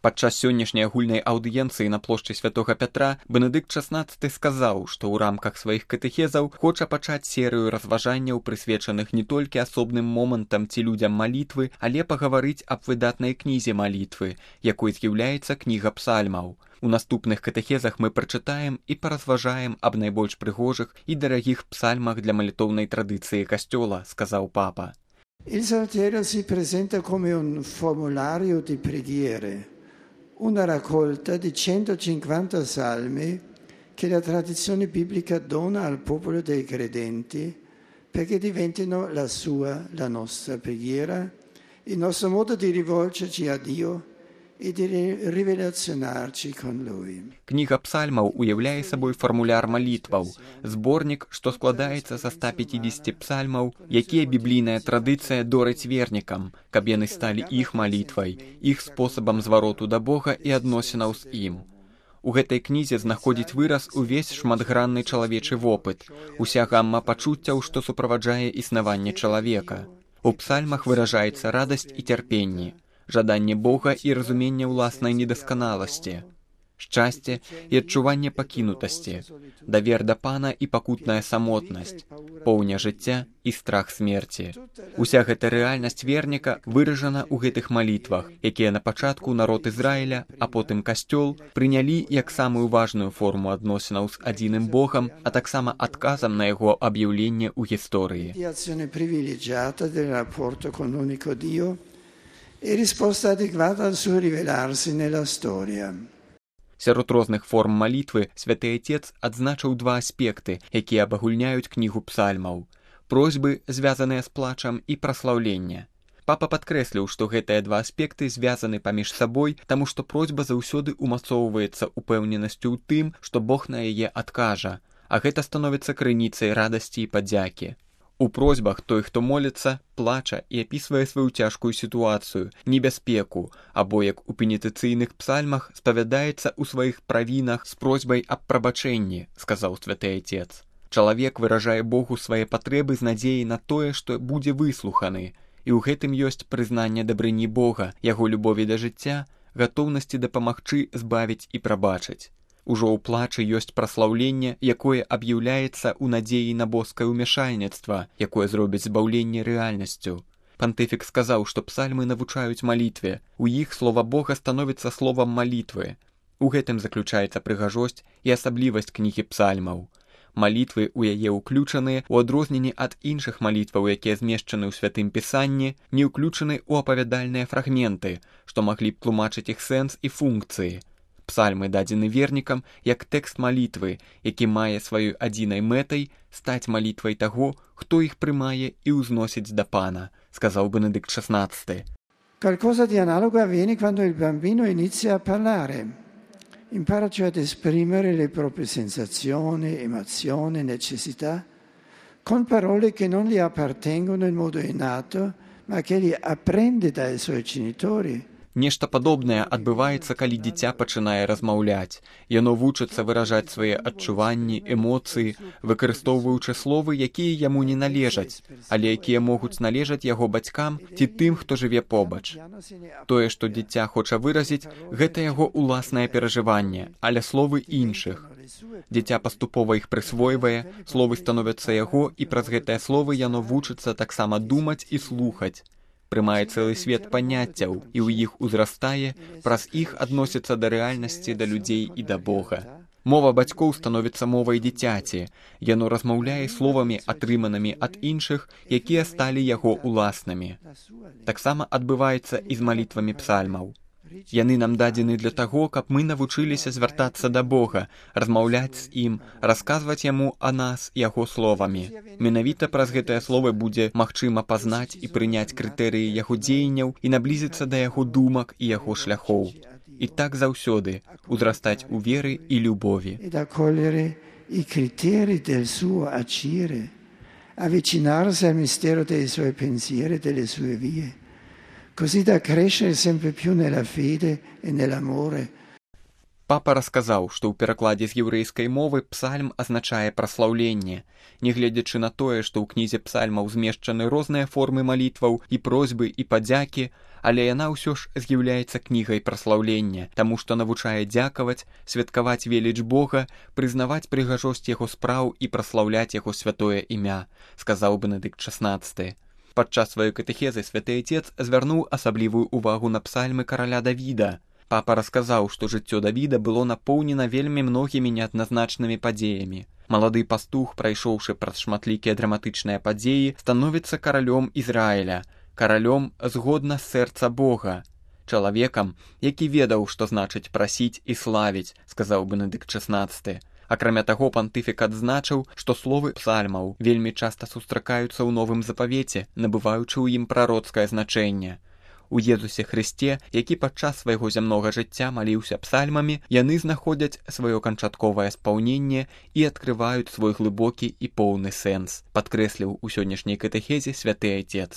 Падчас сённяшняй агульнай аўдыенцыі на плошчы Святога Пятра Бенедыкт XVI сказаў, што ў рамках сваіх катэхезаў хоча пачаць серыю разважанняў, прысвечаных не толькі асобным момантам ці людзям малітвы, але пагаварыць аб выдатнай кнізе малітвы, якой з'яўляецца кніга псальмаў. У наступных катэхезах мы прачытаем і паразважаем аб найбольш прыгожых і дарагіх псальмах для малітоўнай традыцыі касцёла, сказаў папа. Il Salterio si presenta come un formulario di preghiere, una raccolta di 150 salmi che la tradizione biblica dona al popolo dei credenti perché diventino la nostra preghiera, il nostro modo di rivolgerci a Dio і ревелаціонарчі con Lui. Кніга псальмаў уяўляе сабой фармуляр малітваў, зборнік, што складаецца са 150 псальмаў, якія біблійная традыцыя дорыць вернікам, каб яны сталі іх малітвай, іх спосабам звароту да Бога і адносінаў з ім. У гэтай кнізе знаходзіць выраз увесь шматгранны чалавечы вопыт, уся гамма пачуццяў, што суправаджае існаванне чалавека. У псальмах выражаецца радасць і цярпенне, жаданне Бога і разуменне ўласнай недасканаласці, шчасце і адчуванне пакінутасці, давер да Пана і пакутная самотнасць, поўня жыцця і страх смерці. Уся гэта рэальнасць верніка выражана ў гэтых малітвах, якія на пачатку народ Ізраіля, а потым касцёл прынялі як самую важную форму адносінаў з адзіным Богам, а таксама адказам на яго аб'яўленне ў гісторыі. E risposta adeguata al suo rivelarsi nella storia. Сярод розных форм малітвы святы Отец адзначыў два аспекты, якія абагульняюць кнігу псальмаў: просьбы, звязаныя з плачам, і праслаўленне. Папа падкрэсліў, што гэтыя два аспекты звязаны паміж сабой, таму што просьба заўсёды умацоўваецца упэўненасцю ў тым, што Бог на яе адкажа, а гэта становіцца крыніцай радасці і падзякі. У просьбах той, хто моліцца, плача і апісвае сваю цяжкую сітуацыю, небяспеку, або, як у пенітэнцыйных псальмах, спавядаецца ў сваіх правінах з просьбай аб прабачэнні, сказаў святы Отец. Чалавек выражае Богу свае патрэбы з надзеяй на тое, што будзе выслуханы, і ў гэтым ёсць прызнанне дабрыні Бога, яго любові да жыцця, гатоўнасці дапамагчы збавіць і прабачыць. Ужо ў плачы ёсць праслаўленне, якое аб'яўляецца ў надзеі на боскае ўмяшальніцтва, якое зробіць збаўленне рэальнасцю. Пантыфік сказаў, што псальмы навучаюць малітве, у іх слова Бога становіцца словам малітвы. У гэтым заключаецца прыгажосць і асаблівасць кнігі псальмаў. Малітвы ў яе ўключаныя, у адрозненні ад іншых малітваў, якія змешчаны ў святым пісанні, не ўключаны ў апавядальныя фрагменты, што маглі б тлумачыць іх сэнс і функцыі. Псальмы дадзены вернікам як тэкст малітвы, які мае сваёй адзінай мэтай стаць малітвай таго, хто іх прымае і ўзносіць да Пана, сказаў Бенедыкт XVI. Qualcosa di analogo avviene quando il bambino inizia a parlare. Impara cioè ad esprimere le proprie sensazioni, emozioni, necessità con parole che non gli appartengono in modo innato, ma che gli apprende dai suoi genitori. Нешта падобнае адбываецца, калі дзіця пачынае размаўляць. Яно вучыцца выражаць свае адчуванні, эмоцыі, выкарыстоўваючы словы, якія яму не належаць, але якія могуць належаць яго бацькам ці тым, хто жыве побач. Тое, што дзіця хоча выразіць, гэта яго ўласнае перажыванне, але словы іншых. Дзіця паступова іх прысвойвае, словы становяцца яго, і праз гэтыя словы яно вучыцца таксама думаць і слухаць. Прымае цэлы свет паняццяў і ў іх узрастае, праз іх адносіцца да рэальнасці, да людзей і да Бога. Мова бацькоў становіцца мовай дзіцяці. Яно размаўляе словамі, атрыманымі ад іншых, якія сталі яго ўласнымі. Таксама адбываецца і з малітвамі псальмаў. Яны нам дадзены для таго, каб мы навучыліся звяртацца да Бога, размаўляць з ім, расказваць яму о нас яго словамі. Менавіта праз гэтыя словы будзе магчыма пазнаць і прыняць крытэрыі яго дзеянняў і наблізіцца да яго думак і яго шляхоў. І так заўсёды узрастаць у веры і любові. I criteri del suo agire, avvicinarsi al mistero dei suoi pensieri e delle sue vie. Così da crescere sempre più nella fede e nell'amore. Папа расказаў, што ў перакладзе з яўрэйскай мовы псальм азначае праслаўленне. Нягледзячы на тое, што ў кнізе псальмаў змешчаны розныя формы малітваў і просьбы і падзякі, але яна ўсё ж з'яўляецца кнігай праслаўлення, таму што навучае дзякаваць, святкаваць веліч Бога, прызнаваць прыгажосць яго спраў і праслаўляць яго святое імя, сказаў Бенедыкт XVI. Падчас сваёй катэхезы святы Отец звярнуў асаблівую ўвагу на псальмы караля Давіда. Папа расказаў, што жыццё Давіда было напоўнена вельмі многімі неадназначнымі падзеямі. Малады пастух, прайшоўшы праз шматлікія драматычныя падзеі, становіцца каралём Ізраіля, каралём згодна з сэрца Бога, чалавекам, які ведаў, што значыць прасіць і славіць, сказаў Бенедыкт XVI. Акрамя таго, пантыфік адзначыў, што словы псальмаў вельмі часта сустракаюцца ў Новым Запавеце, набываючы ў ім прароцкае значэнне. У Езусе Хрысце, які падчас свайго зямнога жыцця маліўся псальмамі, яны знаходзяць сваё канчатковае спаўненне і адкрываюць свой глыбокі і поўны сэнс, падкрэсліў у сённяшняй катэхезе святы Отец.